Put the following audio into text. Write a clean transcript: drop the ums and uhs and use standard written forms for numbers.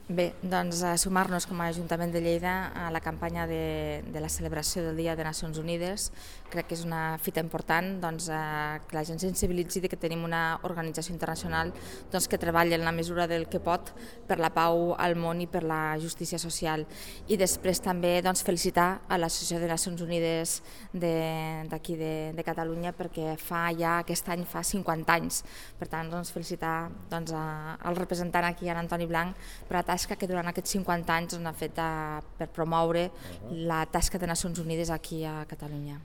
Bé, doncs sumar-nos com a Ajuntament de Lleida a la campanya de la celebració del Dia de Nacions Unides. Crec que és una fita important que la gent sensibilitzi que tenim una organització internacional que treballa en la mesura del que pot per la pau al món i per la justícia social. I després també felicitar a l'Associació de Nacions Unides d'aquí de Catalunya, perquè aquest any fa 50 anys. Per tant, felicitar al representant aquí, en Antoni Blanc, per la tasca que durant aquests 50 anys ha fet per promoure la tasca de Nacions Unides aquí a Catalunya.